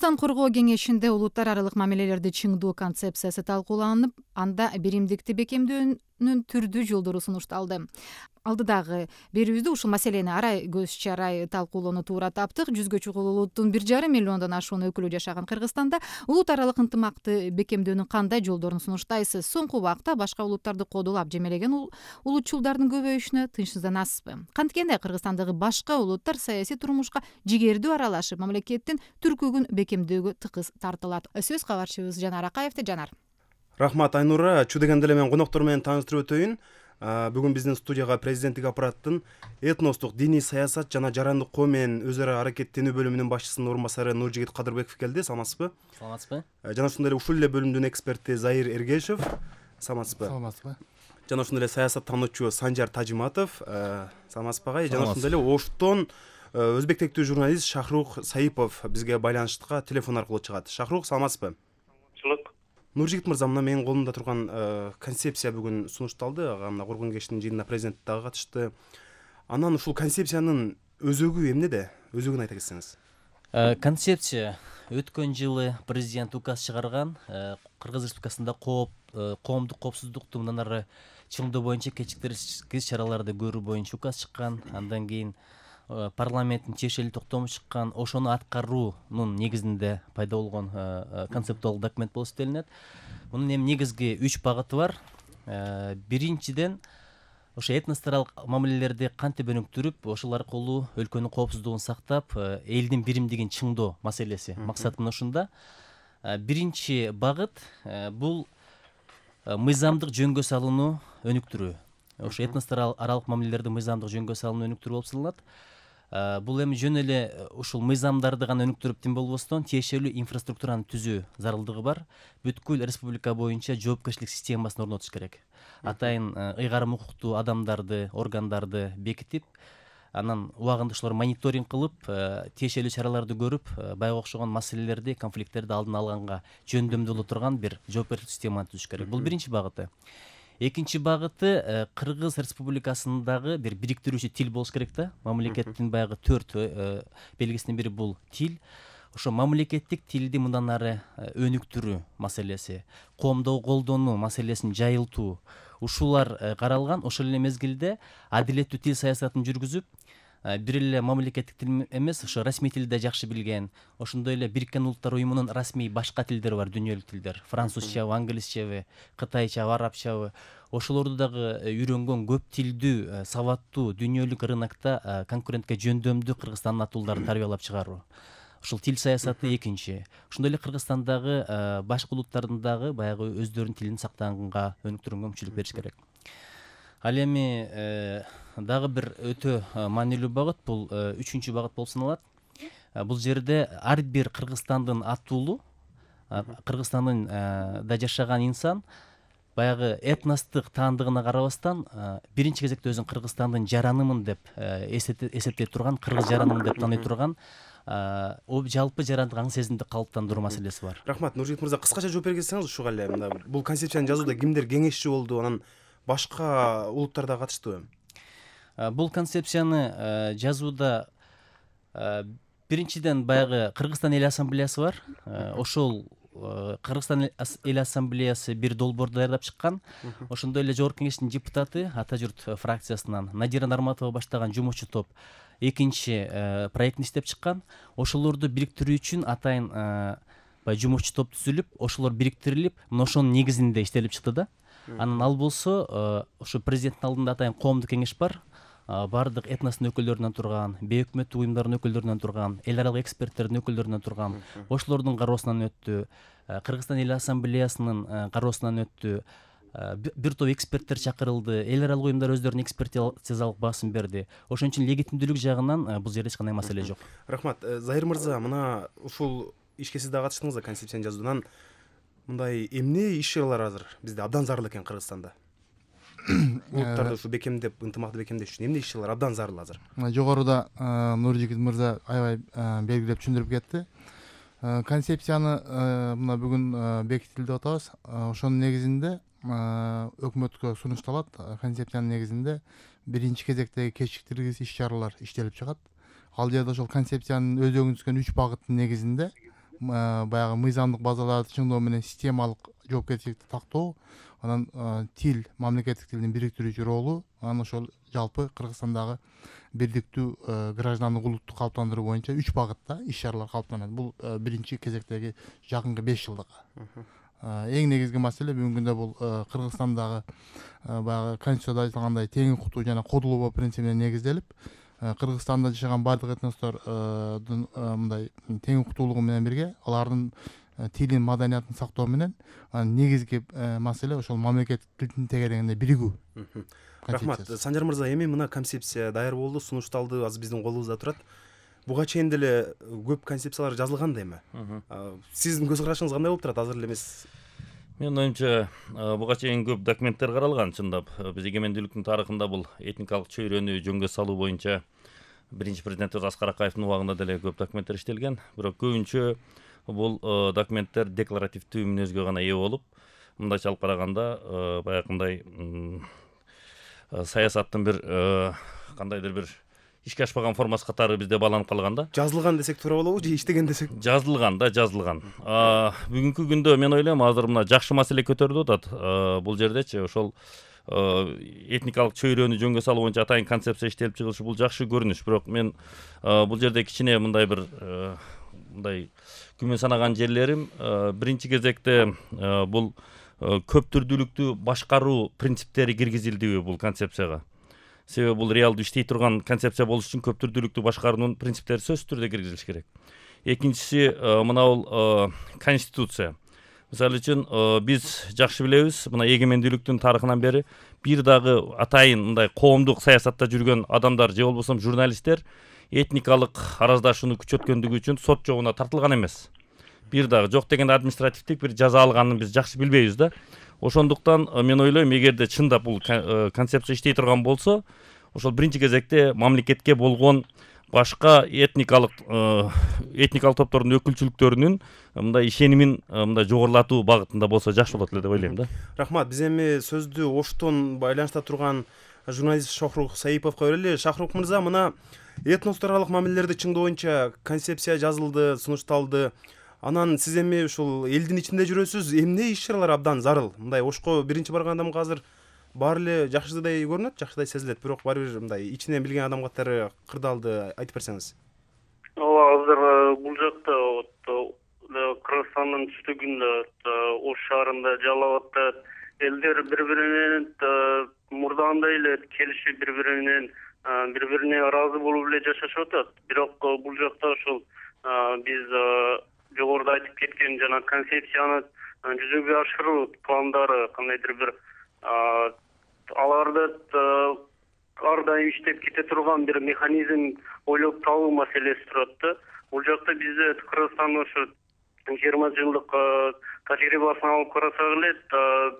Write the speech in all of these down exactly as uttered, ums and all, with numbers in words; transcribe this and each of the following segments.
Кыргызстан коргоо кеңешинде улуттар аралык мамилелерди чыңдоо концепциясы талкууланып, анда биримдикти бекемдөөнүн түрдүү жолдору сунушталды. Алдыдагы берүүбүздө ушул маселени арай көз чарай талкуулоону туура таптык. Жүзгө чукул улуттун бир жарым миллиондон ашуун өкүлү жашаган Кыргызстанда улут аралык ынтымакты бекемдөөнүн кандай жолдорун сунуштайсыз? Соңку убакта башка улуттарды кодулап жемелеген улутчулдардын көбөйүшүнө тынчсызданасызбы? Канткенде Кыргызстандагы башка улуттар саясий турмушка жигердүү аралашып, мамлекеттин түркүгүн бекемдөөгө тыкыз тартылат. Сөз кабарчыбыз Жанар Акаевде. Жанар. Рахмат Айнура. Чү дегенде эле мен коноктор менен тааныштырып өтөйүн. Бүгүн биздин студияга президенттик аппараттын этностук диний саясат жана жарандык коо менен өз ара аракеттенүү бөлүмүнүн башчысынын орун басары Нуржигит Кадырбеков келди. Саламатсызбы? Саламатсызбы. Жана ошондой эле ушул эле бөлүмдүн эксперти Заир Эргешев. Саламатсызбы? Саламатсызбы. Жана ошондой эле саясаттануучу Санжар Тажиматов. Саламатсызбы агай? Жана ошондой эле Оштон өзбек тектүү журналист Шахрух Саипов бизге байланышка телефон аркылуу чыгат. Шахрух, саламатсызбы? Саламатсызбы. Нуржигит мырза, мына менин колумда турган концепция бүгүн сунушталды. Ага коргоо кеңешинин жыйынына президент дагы катышты. Анан ушул концепциянын өзөгү эмнеде? Өзөгүн айта кетсеңиз. Концепция өткөн жылы президент указ чыгарган. Кыргыз Республикасында кооп, коомдук коопсуздукту мындан ары чыңдоо боюнча кечиктиргис чараларды көрүү боюнча указ чыккан. Андан кийин парламенттин тиешелүү токтому чыккан. Ошону аткаруунун негизинде пайда болгон концептуалдык документ болуп эсептелинет. Мунун эми негизги үч багыты бар. Биринчиден, ошо этносторалык мамилелерди кантип өнүктүрүп, ошол аркылуу өлкөнүн коопсуздугун сактап, элдин биримдигин чыңдоо маселеси. Максат мына ушунда. Биринчи багыт бул мыйзамдык жөнгө салууну өнүктүрүү. Ошо этностор аралык мамилелерди мыйзамдык жөнгө салууну өнүктүрүү болуп саналат. Бул эми жөн эле ушул мыйзамдарды гана өнүктүрүп тим болбостон, тиешелүү инфраструктураны түзүү зарылдыгы бар. Бүткүл республика боюнча жоопкерчилик системасын орнотуш керек. Атайын ыйгарым укуктуу адамдарды, органдарды бекитип, анан убагында ошолор мониторинг кылып, тиешелүү чараларды көрүп, баягы окшогон маселелерди, конфликттерди алдын алганга жөндөмдүү боло турган бир жоопкерчилик системаны түзүш керек. Бул биринчи багыты. Экинчи багыты, Кыргыз Республикасындагы бир бириктирүүчү тил болуш керек да. Мамлекеттин баягы төрт белгисинин бири бул тил. Ошо мамлекеттик тилди мындан ары өнүктүрүү маселеси, коомдогу колдонуу маселесин жайылтуу, ушулар каралган. Ошол эле мезгилде адилеттүү тил саясатын жүргүзүп, бир эле мамлекеттик тил эмес, ошо расмий тилди жакшы билген, ошондой эле Бириккен Улуттар уюмунун расмий башка тилдери бар, дүйнөлүк тилдер, французчабы, англисчабы, кытайчабы, арабчабы. Ошолорду дагы үйрөнгөн көп тилдүү, сабаттуу дүйнөлүк рынокто конкурентке жөндөмдүү Кыргызстандын атуулдарын тарбиялап чыгаруу. Ушул тил саясаты экинчи. Ошондой эле Кыргызстандагы башка улуттардын дагы баягы өздөрүнүн тилин сактаганга, өнүктүргөнгө мүмкүнчүлүк бериш керек. Ал эми дагы бир өтө маанилүү багыт, бул үчүнчү багыт болуп саналат. Бул жерде ар бир Кыргызстандын атуулу, Кыргызстандын да жашаган инсан баягы этностук таандыгына карабастан, биринчи кезекте өзүн Кыргызстандын жаранымын деп эсептей турган, кыргыз жаранымын деп тааный турган жалпы жарандык аң сезимди калыптандыруу маселеси бар. Рахмат. Нуржигит мырза, кыскача жооп бергенсиңиз ушуга эле. Бул концепцияны жазууда кимдер кеңешчи болду, анан башка улуттар да катыштыбы? Бул концепцияны жазууда биринчиден баягы Кыргызстан эл ассамблеясы бар. Ошол Кыргызстан эл ассамблеясы бир долбоор даярдап чыккан. Ошондой эле жогорку кеңештин депутаты, Ата журт фракциясынан Надира Нарматова баштаган жумушчу топ экинчи проектин иштеп чыккан. Ошолорду бириктирүү үчүн атайын баягы жумушчу топ түзүлүп, ошолор бириктирилип, мына ошонун негизинде иштелип чыкты да. Анан ал болсо, ошо президенттин алдында атайын коомдук кеңеш бар. Бардык этностун өкүлдөрүнөн турган, бейөкмөттүк уюмдардын өкүлдөрүнөн турган, эл аралык эксперттердин өкүлдөрүнөн турган, ошолордун кароосунан өттү. Кыргызстан эл ассамблеясынын кароосунан өттү. Бир топ эксперттер чакырылды. Эл аралык уюмдар өздөрүнүн экспертизалык баасын берди. Ошон үчүн легитимдүүлүк жагынан бул жерде эч кандай маселе жок. Рахмат. Заир мырза, мына ушул ишке сиз дагы катыштыңыз да, концепцияны жазуудан. Мындай эмне иш-чаралар азыр бизде абдан зарыл экен Кыргызстанда? Улуттарды ушу бекемдеп, ынтымакты бекемдеш үчүн эмне иш-чаралар абдан зарыл азыр? Жогоруда Нуржигит мырза аябай белгилеп түшүндүрүп кетти. Концепцияны мына бүгүн бекитилди деп атабыз. Ошонун негизинде өкмөткө сунушталат. Концепциянын негизинде биринчи кезектеги кечиктиргис иш-чаралар иштелип чыгат. Ал жерде ошол концепциянын өзөгүн түзгөн үч багыттын негизинде баягы мыйзамдык базаларды чыңдоо менен системалык жоопкерчиликти тактоо, анан тил, мамлекеттик тилдин бириктирүүчү ролу, анан ошол жалпы Кыргызстандагы бирдиктүү граждандык улутту калыптандыруу боюнча үч багытта иш-чаралар калыптанат. Бул биринчи кезектеги жакынкы беш жылдык. Эң негизги маселе бүгүнкү күндө бул Кыргызстандагы баягы конституцияда айтылгандай тең укуктуу жана кодулоо принцибине негизделип, Кыргызстанда жашаган бардык этностордун мындай тең укуктуулугу менен бирге алардын тилин, маданиятын сактоо менен негизги маселе ошол мамлекеттик тилдин тегерегинде биригүү. Рахмат. Санжар мырза, эми мына концепция даяр болду, сунушталды, азыр биздин колубузда турат. Буга чейин деле көп концепциялар жазылган да эми. Сиздин көз карашыңыз кандай болуп турат, азыр эле эмес? Менин оюмча, буга чейин көп документтер каралган, чындап. Биз эгемендүүлүктүн тарыхында бул этникалык чөйрөнү жөнгө салуу боюнча биринчи президентибиз Аскар Акаевдин убагында деле көп документтер иштелген. Бирок көбүнчө бул документтер декларативдүү мүнөзгө гана ээ болуп, мындайча алып караганда баягындай саясаттын бир кандайдыр бир ишке ашпаган формасы катары бизде бааланып калган да. Жазылган десек туура болобу же иштеген десек? Жазылган да, жазылган. Бүгүнкү күндө мен ойлойм азыр мына жакшы маселе көтөрүлүп атат. Бул жердечи ошол этникалык чөйрөнү жөнгө салуу боюнча атайын концепция иштелип чыгышы бул жакшы көрүнүш. Бирок мен бул жерде кичине мындай бир мындай күмөн санаган жерлерим, биринчи кезекте бул көп түрдүүлүктү башкаруу принциптери киргизилдиби бул концепцияга. Себеби бул реалдуу иштей турган концепция болуш үчүн көп түрдүүлүктү башкаруунун принциптери сөзсүз түрдө киргизилиш керек. Экинчиси мына бул конституция. Мисалы үчүн биз жакшы билебиз, мына эгемендүүлүктүн тарыхынан бери бир дагы атайын мындай коомдук саясатта жүргөн адамдар же болбосо журналисттер этникалык араздашууну күчөткөндүгү үчүн сот жобуна тартылган эмес. Бир дагы жок дегенде административдик бир жаза алганын биз жакшы билбейбиз да. Ошондуктан мен ойлойм, эгерде чындап бул концепция иштей турган болсо, ошол биринчи кезекте мамлекетке болгон башка этникалык этникалык топтордун өкүлчүлүктөрүнүн мындай ишенимин мындай жогорулатуу багытында болсо жакшы болот эле деп ойлойм да. Рахмат. Биз эми сөздү Оштон байланышта турган журналист Шохрук Саиповго берели. Шохрук мырза, мына этностор аралык мамилелерди чыңдоо боюнча концепция жазылды, сунушталды. Анан сиз эми ушул элдин ичинде жүрөсүз, эмне иш-чаралар абдан зарыл? Мындай Ошко биринчи барган адамга азыр баары эле жакшыдай көрүнөт, жакшыдай сезилет, бирок баары бир мындай ичинен билген адам катары кырдаалды айтып берсеңиз. Ооба, азыр бул жакта Кыргызстандын түштүгүндө Ош шаарында Жалал абадда элдер бири-бири менен мурдагындай эле келишип бири-бири менен бири-бирине ыраазы болуп эле жашашып атат. Бирок бул жакта ошол биз жогоруда айтып кеткен жана концепцияны жүзөгө ашыруу пландары кандайдыр бир аларды ар дайым иштеп кете турган бир механизм ойлоп табуу маселеси турат да. Бул жакта бизде Кыргызстандын ошо жыйырма жылдык тажрыйбасын алып карасак эле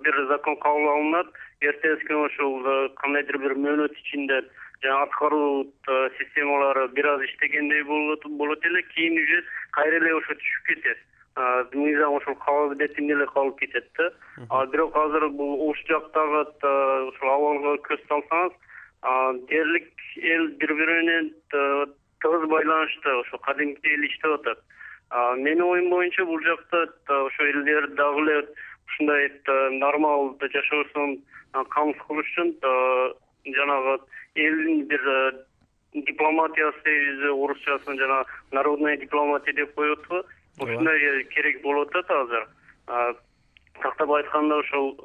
бир закон кабыл алынат, эртеси күнү ошол кандайдыр бир мөөнөт ичинде жана аткаруу системалары бир аз иштегендей болот болот эле, кийин уже кайра эле ошо түшүп кетет. Мыйзам ошол кабыл бетинде эле калып кетет да. А бирок азыр бул Ош жактагы ошол абалга көз салсаңыз, дээрлик эл бири-бири менен тыгыз байланышта, ошо кадимкидей эле иштеп атат. Менин оюм боюнча бул жакта ошо элдер дагы эле ушундай нормал жашоосун камсыз кылыш үчүн жанагы элдин бир дипломатиясы дейбиз, орусчасын жана народная дипломатия деп коет го. Ушундай керек болуп атат азыр. Тактап айтканда ошол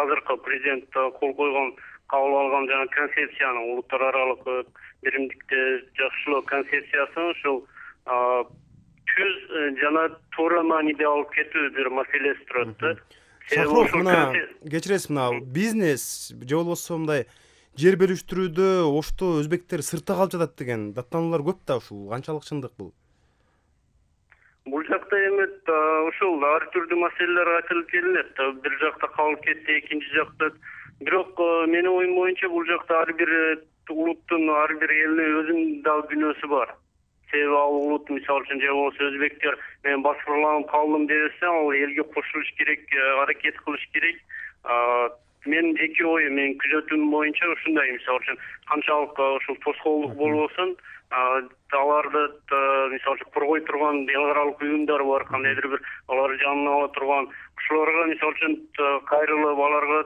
азыркы президент кол койгон, кабыл алган жана концепцияны, улуттар аралык биримдикти жакшылоо концепциясын ошол түз жана туура мааниде алып кетүү бир маселеси турат да. Шахров, мына кечиресиз, мына бизнес же болбосо мындай жер бөлүштүрүүдө Ошто өзбектер сыртта калып жатат деген даттануулар көп да, ушул канчалык чындык бул? Бул жакта эми ошол ар түрдүү маселелер айтылып келинет. Бир жакта калып кетти, экинчи жакта. Бирок менин оюм боюнча бул жакта ар бир улуттун, ар бир элдин өзүнүн дагы күнөөсү бар. Себеби ал улут, мисалы үчүн, же болбосо өзбектер мен баскырланып калдым десе, ал элге кошулуш керек, аракет кылыш керек. менин жеке оюм, менин күзөтүүм боюнча ушундай, мисалы үчүн канчалык ушул тоскоолдук болбосун, аларды мисалы үчүн коргой турган эл аралык уюмдар бар, кандайдыр бир аларды жанына ала турган, ошолорго мисалы үчүн кайрылып, аларга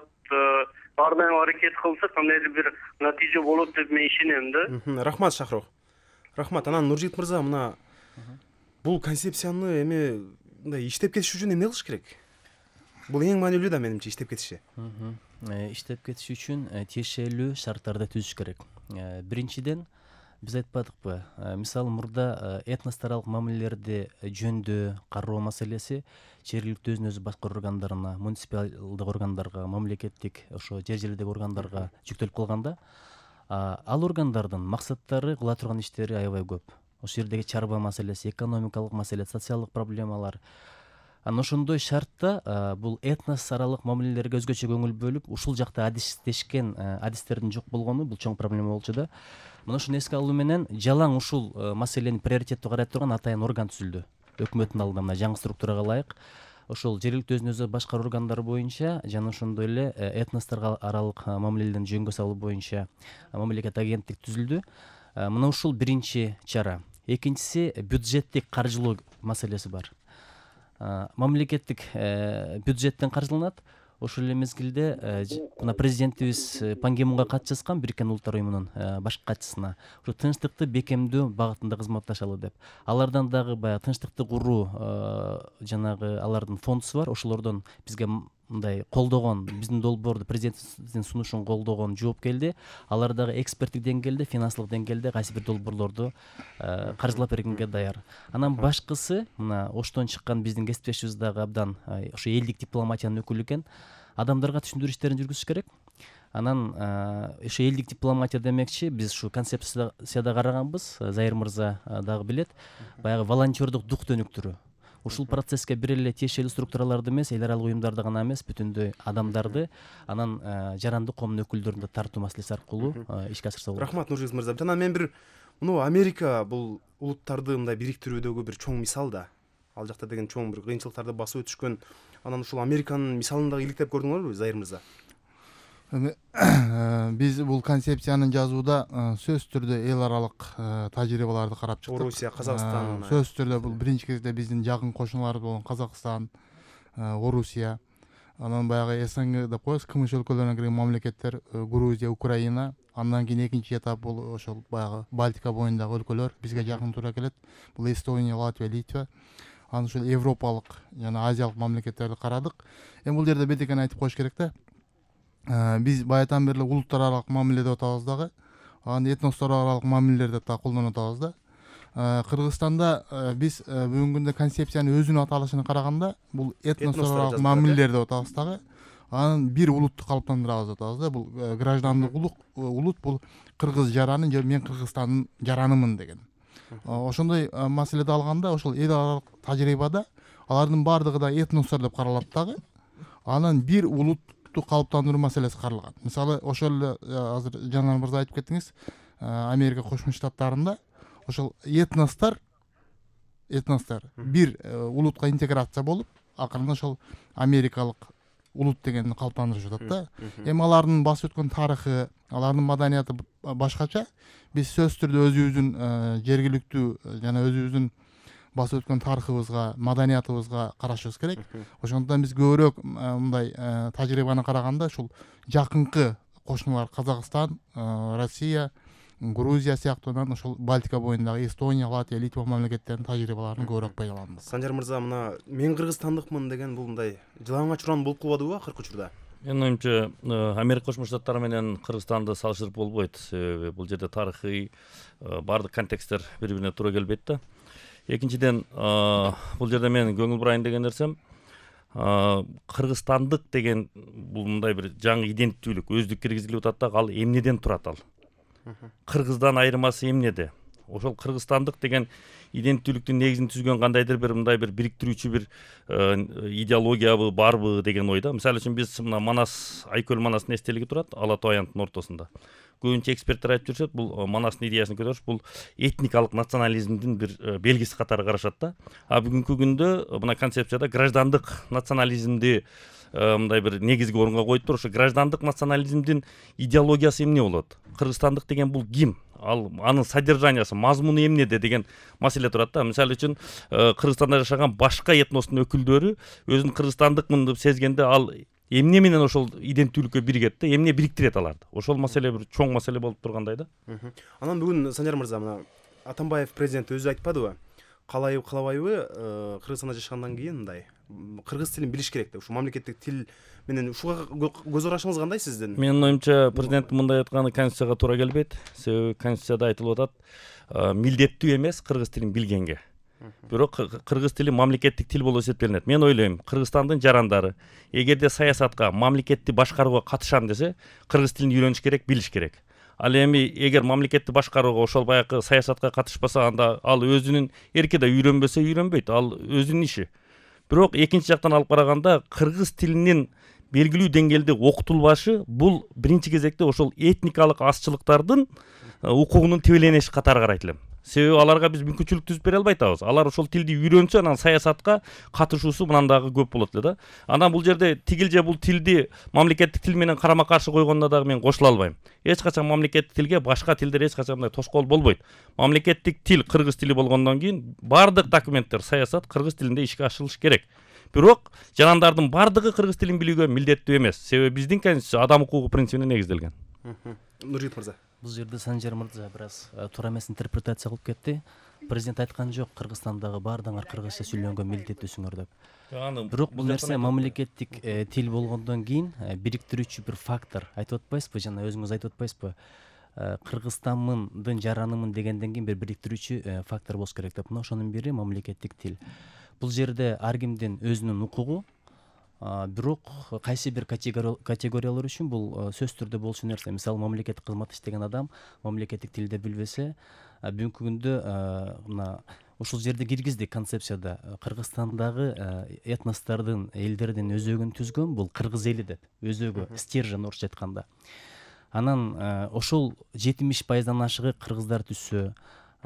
ар дайым аракет кылса кандайдыр бир натыйжа болот деп мен ишенем да. Рахмат Шахрох. Рахмат. Анан Нуржигит мырза, мына бул концепцияны эми мындай иштеп кетиш үчүн эмне кылыш керек? Бул эң маанилүү да менимче иштеп кетиши. Иштеп кетиш үчүн тиешелүү шарттарды түзүш керек. Биринчиден, биз айтпадыкпы, мисалы мурда этностаралык мамилелерди жөндөө кароо маселеси жергиликтүү өзүн өзү башкаруу органдарына, муниципалдык органдарга, мамлекеттик ошо жер жерлердеги органдарга жүктөлүп калганда, ал органдардын максаттары кыла турган иштери аябай көп. Ошол жердеги чарба маселеси, экономикалык маселе, социалдык проблемалар. Анан ошондой шартта бул этнос аралык мамилелерге өзгөчө көңүл бөлүп, ушул жакта адистешкен адистердин жок болгону бул чоң проблема болчу да. Мына ошону эске алуу менен жалаң ушул маселени приоритеттүү карай турган атайын орган түзүлдү. Өкмөттүн алдында мына жаңы структурага ылайык ошол жергиликтүү өзүн өзү башкаруу органдары боюнча жана ошондой эле этносторго аралык мамилелердин жөнгө салуу боюнча мамлекеттик агенттик түзүлдү. Мына ушул биринчи чара. Экинчиси бюджеттик каржылоо маселеси бар. Мамлекеттик бюджеттен каржыланат. Ошол эле мезгилде мына президентибиз Пан Ги Мунга кат жазган, Бириккен Улуттар уюмунун башкы катчысына, ушу тынчтыкты бекемдөө багытында кызматташалы деп. Алардан дагы баягы тынчтыкты куруу жанагы алардын фондусу бар. Ошолордон бизге мындай колдогон, биздин долбоорду, президенттин сунушун колдогон жооп келди. Алар дагы эксперттик деңгээлде, финансылык деңгээлде кайсы бир долбоорлорду каржылап бергенге даяр. Анан башкысы, мына Оштон чыккан биздин кесиптешибиз дагы абдан ошо элдик дипломатиянын өкүлү экен. Адамдарга түшүндүрүү иштерин жүргүзүш керек. Анан ошо элдик дипломатия демекчи, биз ушу концепцияда караганбыз, Зайыр мырза дагы билет, баягы волонтердук дух дөнүктүрүү. Ушул процесске бир эле тиешелүү структураларды эмес, эл аралык уюмдарды гана эмес, бүтүндөй адамдарды, анан жарандык коомдун өкүлдөрүн да тартуу маселеси аркылуу ишке ашырса болот. Рахмат Нуржигит мырза. Жана мен бир муну Америка бул улуттарды мындай бириктирүүдөгү бир чоң мисал да. Ал жакта деген чоң бир кыйынчылыктарды басып өтүшкөн. Анан ушул Американын мисалын дагы иликтеп көрдүңөрбү, Зайыр мырза? Биз бул концепцияны жазууда сөзсүз түрдө эл аралык тажрыйбаларды карап чыктык. Орусия, Казакстан. Сөзсүз түрдө бул биринчи кезде биздин жакын кошуналарыбыз болгон Казакстан, Орусия, анан баягы эс эн гэ деп коебуз, КМШ өлкөлөрүнө кирген мамлекеттер, Грузия, Украина. Андан кийин экинчи этап бул ошол баягы Балтика боюндагы өлкөлөр бизге жакын туура келет. Бул Эстония, Латвия, Литва. Анан ушул европалык жана азиялык мамлекеттерди карадык. Эми бул жерде бет экени айтып коюш керек да. Биз баятан бери улуттар аралык мамиле деп атабыз дагы, анан этностор аралык мамилелер деп да колдонуп атабыз да. Кыргызстанда биз бүгүнкү күндө концепциянын өзүнүн аталышына караганда бул этностор аралык мамилелер деп атабыз дагы. Анан бир улутту калыптандырабыз деп атабыз да. Бул граждандык улут, бул кыргыз жараны же мен Кыргызстандын жаранымын деген. Ошондой маселеди алганда ошол эл аралык тажрыйбада алардын баардыгы да этностор деп каралат дагы. Анан бир улут калыптандыруу маселеси каралган. Мисалы ошол эле азыр Жанар мырза айтып кеттиңиз, Америка Кошмо Штаттарында ошол этностор этностор бир улутка интеграция болуп, акырында ошол америкалык улут дегенди калыптандырышып атат да. Эми алардын басып өткөн тарыхы, алардын маданияты башкача. Биз сөзсүз түрдө өзүбүздүн жергиликтүү жана өзүбүздүн басып өткөн тарыхыбызга, маданиятыбызга карашыбыз керек. Ошондон биз көбүрөөк мындай тажрыйбаны караганда ушул жакынкы кошуналар Казакстан, Россия, Грузия сыяктуунан ошол Балтика боюндагы Эстония, Латвия, Литва мамлекеттеринин тажрыйбаларын көбүрөөк пайдаланабыз. Санжар мырза, мына мен кыргызстандыкмын деген бул мындай жылаңач уран болуп калбадыбы акыркы учурда? Менин оюмча, Америка Кошмо Штаттары менен Кыргызстанды салыштырып болбойт. Себеби бул жерде тарыхый баардык контексттер бири-бирине туура келбейт да. Экинчиден, бул жерде мен көңүл бурайын деген нерсем, кыргызстандык деген бул мындай бир жаңы иденттүүлүк, өздүк киргизилип атат да, ал эмнеден турат ал? Кыргыздан айырмасы эмнеде? Ошол кыргызстандык деген иденттүүлүктүн негизин түзгөн кандайдыр бир мындай бир бириктирүүчү бир идеологиябы барбы деген ойда. Мисалы үчүн биз мына Манас, Айкөл Манастын эстелиги турат Ала Тоо аянтынын ортосунда. Көбүнчө эксперттер айтып жүрүшөт, бул Манастын идеясын көтөрүш, бул этникалык национализмдин бир белгиси катары карашат да. А бүгүнкү күндө мына концепцияда граждандык национализмди мындай бир негизги орунга коюптур. Ошо граждандык национализмдин идеологиясы эмне болот? Кыргызстандык деген бул ким? Ал анын содержаниясы, мазмуну эмнеде деген маселе турат да. Мисалы үчүн Кыргызстанда жашаган башка этностун өкүлдөрү өзүн кыргызстандыкмын деп сезгенде ал эмне менен ошол иденттүүлүккө биригет да, эмне бириктирет аларды? Ошол маселе бир чоң маселе болуп тургандай да. Анан бүгүн Санжар мырза, мына Атамбаев президент өзү айтпадыбы? Каалайбы каалабайбы, Кыргызстанда жашагандан кийин мындай кыргыз тилин билиш керек деп. Ушу мамлекеттик тил менен ушуга көз карашыңыз кандай сиздин? Менин оюмча президенттин мындай айтканы конституцияга туура келбейт. Себеби конституцияда айтылып атат, милдеттүү эмес кыргыз тилин билгенге. Бирок кыргыз тили мамлекеттик тил болуп эсептелинет. Мен ойлойм, Кыргызстандын жарандары эгерде саясатка, мамлекетти башкарууга катышам десе, кыргыз тилин үйрөнүш керек, билиш керек. Ал эми эгер мамлекетти башкарууга ошол баягы саясатка катышпаса, анда ал өзүнүн эркиде үйрөнбөсө үйрөнбөйт, ал өзүнүн иши. Бирок экинчи жактан алып караганда кыргыз тилинин белгилүү деңгээлде окутулбашы бул биринчи кезекте ошол этникалык азчылыктардын укугунун тебелениши катары карайт элем. Себеби аларга биз мүмкүнчүлүк түзүп бере албай атабыз. Алар ошол тилди үйрөнсө, анан саясатка катышуусу мындан дагы көп болот эле да. Анан бул жерде тигил же бул тилди мамлекеттик тил менен карама каршы койгондо дагы мен кошула албайм. Эч качан мамлекеттик тилге башка тилдер эч качан мындай тоскоол болбойт. Мамлекеттик тил кыргыз тили болгондон кийин бардык документтер, саясат кыргыз тилинде ишке ашырылыш керек. Бирок жарандардын бардыгы кыргыз тилин билүүгө милдеттүү эмес. Себеби биздин конституция адам укугу принцибине негизделген. Нуржигит мырза. Бул жерде Санжар мырза бир аз туура эмес интерпретация кылып кетти. Президент айткан жок, Кыргызстандагы баардыгыңар кыргызча сүйлөнгөнгө милдеттүүсүңөр деп. Бирок бул нерсе мамлекеттик тил болгондон кийин бириктирүүчү бир фактор. Айтып атпайсызбы, жана өзүңүз айтып атпайсызбы? Кыргызстанмындын жаранымын дегенден кийин бир бириктирүүчү фактор болуш керек деп. Мына ошонун бири мамлекеттик тил. Бул жерде ар кимдин өзүнүн укугу, бирок кайсы бир категориялар үчүн бул сөзсүз түрдө болчу нерсе. Мисалы, мамлекеттик кызмат иштеген адам мамлекеттик тилде билбесе, бүгүнкү күндө мына ушул жерде киргиздик концепцияда Кыргызстандагы этностордун, элдердин өзөгүн түзгөн бул кыргыз эли деп, өзөгү, стержень орусча айтканда. Анан ошол жетимиш пайыздан ашыгы кыргыздар түзсө,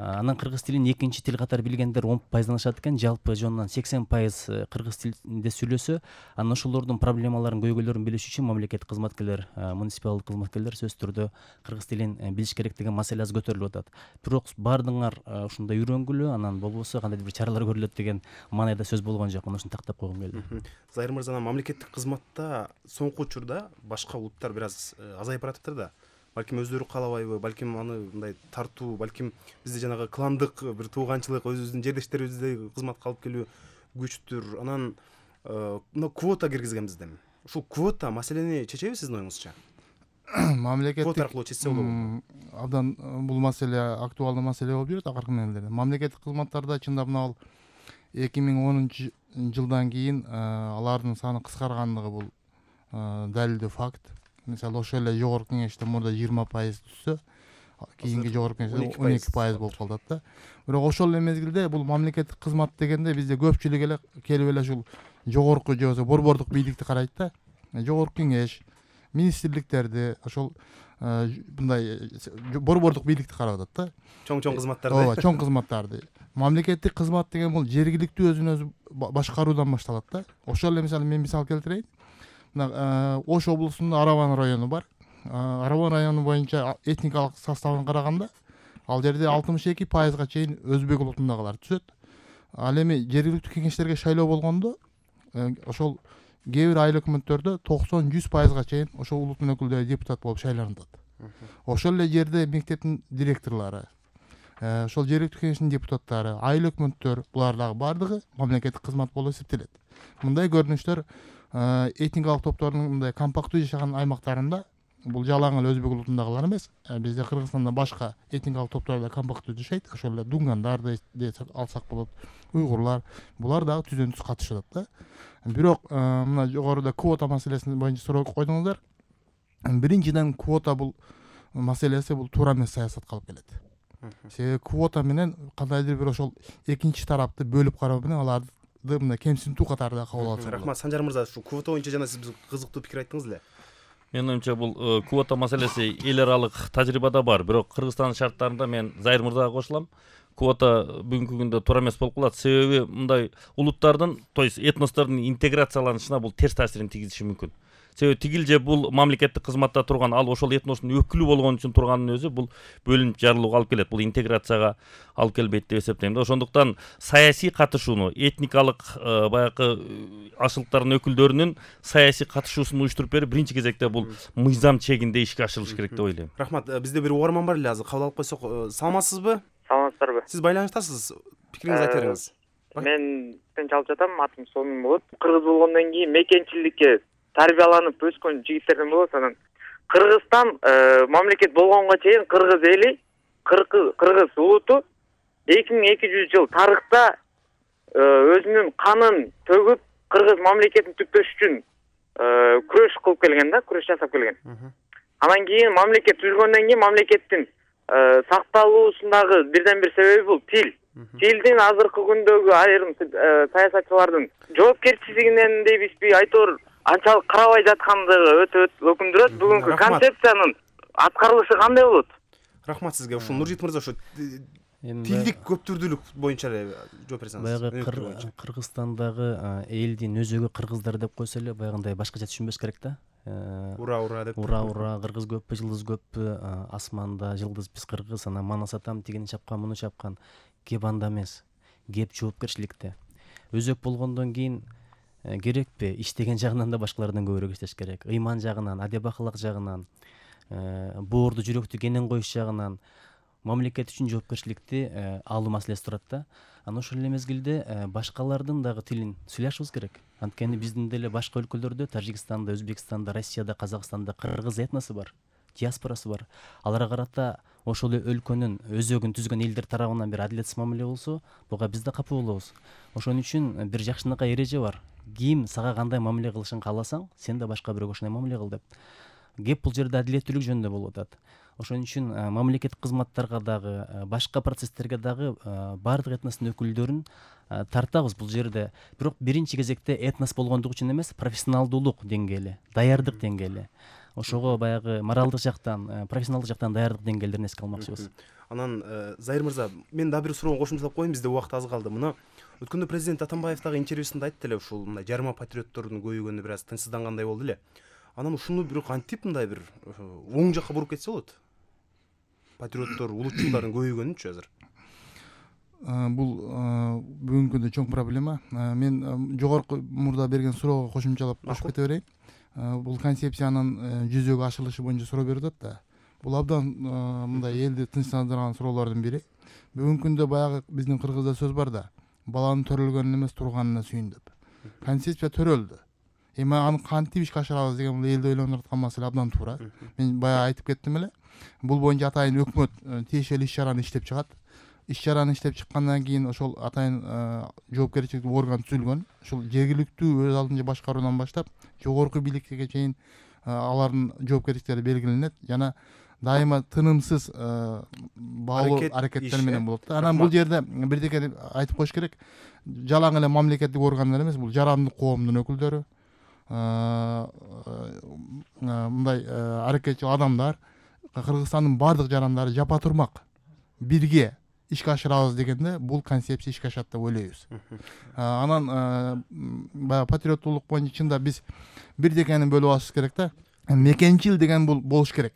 анан кыргыз тилин экинчи тил катары билгендер он пайыздан ашат экен, жалпы жонунан сексен пайыз кыргыз тилинде сүйлөсө, анан ошолордун проблемаларын, көйгөйлөрүн билиш үчүн мамлекеттик кызматкерлер, муниципалдык кызматкерлер сөзсүз түрдө кыргыз тилин билиш керек деген маселе аз көтөрүлүп атат. Бирок баардыгыңар ушундай үйрөнгүлө, анан болбосо кандайдыр бир чаралар көрүлөт деген маанайда сөз болгон жок. Мына ушуну тактап койгум келди. Зайыр мырза, мамлекеттик кызматта соңку учурда башка улуттар бир аз азайып баратыптыр да. Балким өздөрү каалабайбы, балким аны мындай тартуу, балким бизде жанагы кландык бир тууганчылык, өзүбүздүн жерлештерибизде кызматка алып келүү күчтүр. Анан мына квота киргизген бизден. Ушул квота маселени чечеби сиздин оюңузча? Мамлекеттик квота аркылуу чечсе болобу? Абдан бул маселе актуалдуу маселе болуп жүрөт акыркы мезгилдерде. Мамлекеттик кызматтарда чындап мына бул эки миң онунчу жылдан кийин алардын саны кыскаргандыгы бул далилдүү факт. Мисалы, ошол эле жогорку кеңеште мурда жыйырма пайыз түшсө, кийинки жогорку кеңеште он эки пайыз болуп калат да. Бирок ошол эле мезгилде бул мамлекеттик кызмат дегенде бизде көпчүлүк эле келип эле ушул жогорку же болбосо борбордук бийликти карайт да. Жогорку кеңеш, министрликтерди, ошол мындай борбордук бийликти карап атат да. Чоң-чоң кызматтарды. Ооба, чоң кызматтарды. Мамлекеттик кызмат деген бул жергиликтүү өзүн өзү башкаруудан башталат да. Ошол эле мисалы мен мисал келтирейин. Мына Ош облусунда Араван району бар. Араван району боюнча этникалык составын караганда, ал жерде алтымыш эки пайызга чейин өзбек улутундагылар түшөт. Ал эми жергиликтүү кеңештерге шайлоо болгондо, ошол кээ бир айыл өкмөттөрдө токсон жүз пайызга чейин ошол улуттун өкүлдөрү депутат болуп шайланат. Ошол эле жерде мектептин директорлору, ошол жергиликтүү кеңештин депутаттары, айыл өкмөттөр, булар дагы бардыгы мамлекеттик кызмат болуп эсептелет. Мындай көрүнүштөр этникалык топтордун мындай компактуу жашаган аймактарында, бул жалаң эле өзбек улутундагылар эмес, бизде Кыргызстанда башка этникалык топтор да компактуу жашайт. Ошол эле дунгандар деп алсак болот, уйгурлар, булар дагы түздөн түз катышат да. Бирок мына жогоруда квота маселесин боюнча суроо койдуңуздар. Биринчиден, квота бул маселеси бул туура эмес саясатка алып келет. Себеби квота менен кандайдыр бир ошол экинчи тарапты бөлүп кароо менен аларды мындай кемсинтүү катарында кабыл алат. Рахмат, Санжар мырза, ушу квота боюнча жана сиз кызыктуу пикир айттыңыз эле. Менин оюмча бул квота маселеси эл аралык тажрыйбада бар, бирок Кыргызстандын шарттарында мен Зайыр мырзага кошулам. квота бүгүнкү күндө туура эмес болуп калат. Себеби мындай улуттардын, то есть этностордун интеграцияланышына бул терс таасирин тийгизиши мүмкүн. Себеби тигил же бул мамлекеттик кызматта турган, ал ошол этностун өкүлү болгон үчүн турганын өзү бул бөлүнүп жарылууга алып келет. Бул интеграцияга алып келбейт деп эсептейм да. Ошондуктан саясий катышууну, этникалык баягы ашылыктардын өкүлдөрүнүн саясий катышуусун уюштуруп берип, биринчи кезекте бул мыйзам чегинде ишке ашырылыш керек деп ойлойм. Рахмат. Бизде бир угарман бар эле, азыр кабыл алып койсок. Саламатсызбы? Саламатсыздарбы? Сиз байланыштасыз. Пикириңизди айта бериңиз. Мен Тынч алып жатам, атым Сонун болот. Кыргыз болгондон кийин мекенчиликке тарбияланып өскөн жигиттерден болот. Анан Кыргызстан мамлекет болгонго чейин кыргыз эли, кыргыз улуту эки миң эки жүз жыл тарыхта өзүнүн канын төгүп кыргыз мамлекетин түптөш үчүн күрөш кылып келген да, күрөш жасап келген. Анан кийин мамлекет түзүлгөндөн кийин мамлекеттин сакталуусундагы бирден бир себеби бул тил. Тилдин азыркы күндөгү айрым саясатчылардын жоопкерчилигинен дейбизби, айтор анчалык карабай жаткандыгы өтө өкүндүрөт. Бүгүнкү концепциянын аткарылышы кандай болот? Рахмат сизге. Ушул Нуржит мырза, ушу тилдик көптүрдүүлүк боюнча эле жооп берсеңиз. Баягы Кыргызстандагы элдин өзөгү кыргыздар деп койсо эле баягындай башкача түшүнбөш керек да. Ура ура деп. Ура ура, кыргыз көппү, жылдыз көппү, асманда жылдыз биз кыргыз, анан манас атам тигини чапкан, муну чапкан. Кеп анда эмес. Кеп жоопкерчиликте. Өзөк болгондон кийин керекпи? Иштеген жагынан да башкалардан көбүрөөк иштеш керек. Ыйман жагынан, адеп акылак жагынан, боорду жүрөктү кенен коюш жагынан мамлекет үчүн жоопкерчиликти алуу маселеси турат да. Анан ошол эле мезгилде башкалардын дагы тилин сүйлөшүбүз керек. Анткени биздин деле башка өлкөлөрдө, Тажикстанда, Өзбекстанда, Россияда, Казакстанда кыргыз этносу бар, диаспорасы бар. Аларга карата ошол өлкөнүн өзөгүн түзгөн элдер тарабынан бир адилетсиз мамиле болсо, буга биз да капа болобуз. Ошон үчүн бир жакшынакай эреже бар. Ким сага кандай мамиле кылышын кааласаң, сен да башка бирөөгө ошондой мамиле кыл деп. Кеп бул жерде адилеттүүлүк жөнүндө болуп атат. Ошон үчүн мамлекеттик кызматтарга дагы, башка процесстерге дагы баардык этностун өкүлдөрүн тартабыз бул жерде. Бирок биринчи кезекте этнос болгондугу үчүн эмес, профессионалдуулук деңгээли, даярдык деңгээли. Ошого баягы моралдык жактан, профессионалдык жактан даярдык деңгээлдерин эске алмакчыбыз. Анан Зайыр мырза, мен дагы бир суроого кошумчалап коеюн, бизде убакыт аз калды. Мына өткөндө президент Атамбаев дагы интервьюсунда айтты эле, ушул мындай жарма патриоттордун көбөйгөнү бир аз тынчсыздангандай болду эле. Анан ушуну бирок антип мындай бир оң жакка буруп кетсе болот. Патриоттор, улутчулдардын көбөйгөнүнчү азыр. Бул бүгүнкү күндө чоң проблема. Мен жогорку мурда берген суроого кошумчалап кошуп кете берейин. Бул концепциянын жүзөгө ашырылышы боюнча суроо берип атат да. Бул абдан мындай элди тынчсыздандырган суроолордун бири. Бүгүнкү күндө баягы биздин кыргызда сөз бар да, баланын төрөлгөнүнө эмес турганына сүйүн деп. Концепция төрөлдү. Эми аны кантип ишке ашырабыз деген бул элди ойлондуруп аткан маселе абдан туура. Мен баягы айтып кеттим эле. Бул боюнча атайын өкмөт тиешелүү иш чараны иштеп чыгат. Иш чараны иштеп чыккандан кийин ошол атайын жоопкерчиликтүү орган түзүлгөн. Ошол жергиликтүү өз алдынча башкаруудан баштап жогорку бийликке чейин алардын жоопкерчиликтери белгиленет жана дайыма тынымсыз баалуу аракеттер менен болот да. Анан бул жерде бирдеке айтып коюш керек. Жалаң эле мамлекеттик органдар эмес, бул жарандык коомдун өкүлдөрү, мындай аракетчил адамдар, Кыргызстандын баардык жарандары жапа турмак бирге ишке ашырабыз дегенде бул концепция ишке ашат деп ойлойбуз. Анан баягы патриоттуулук боюнча чында биз бирдекени бөлүп алышыбыз керек да. Мекенчил деген бул болуш керек.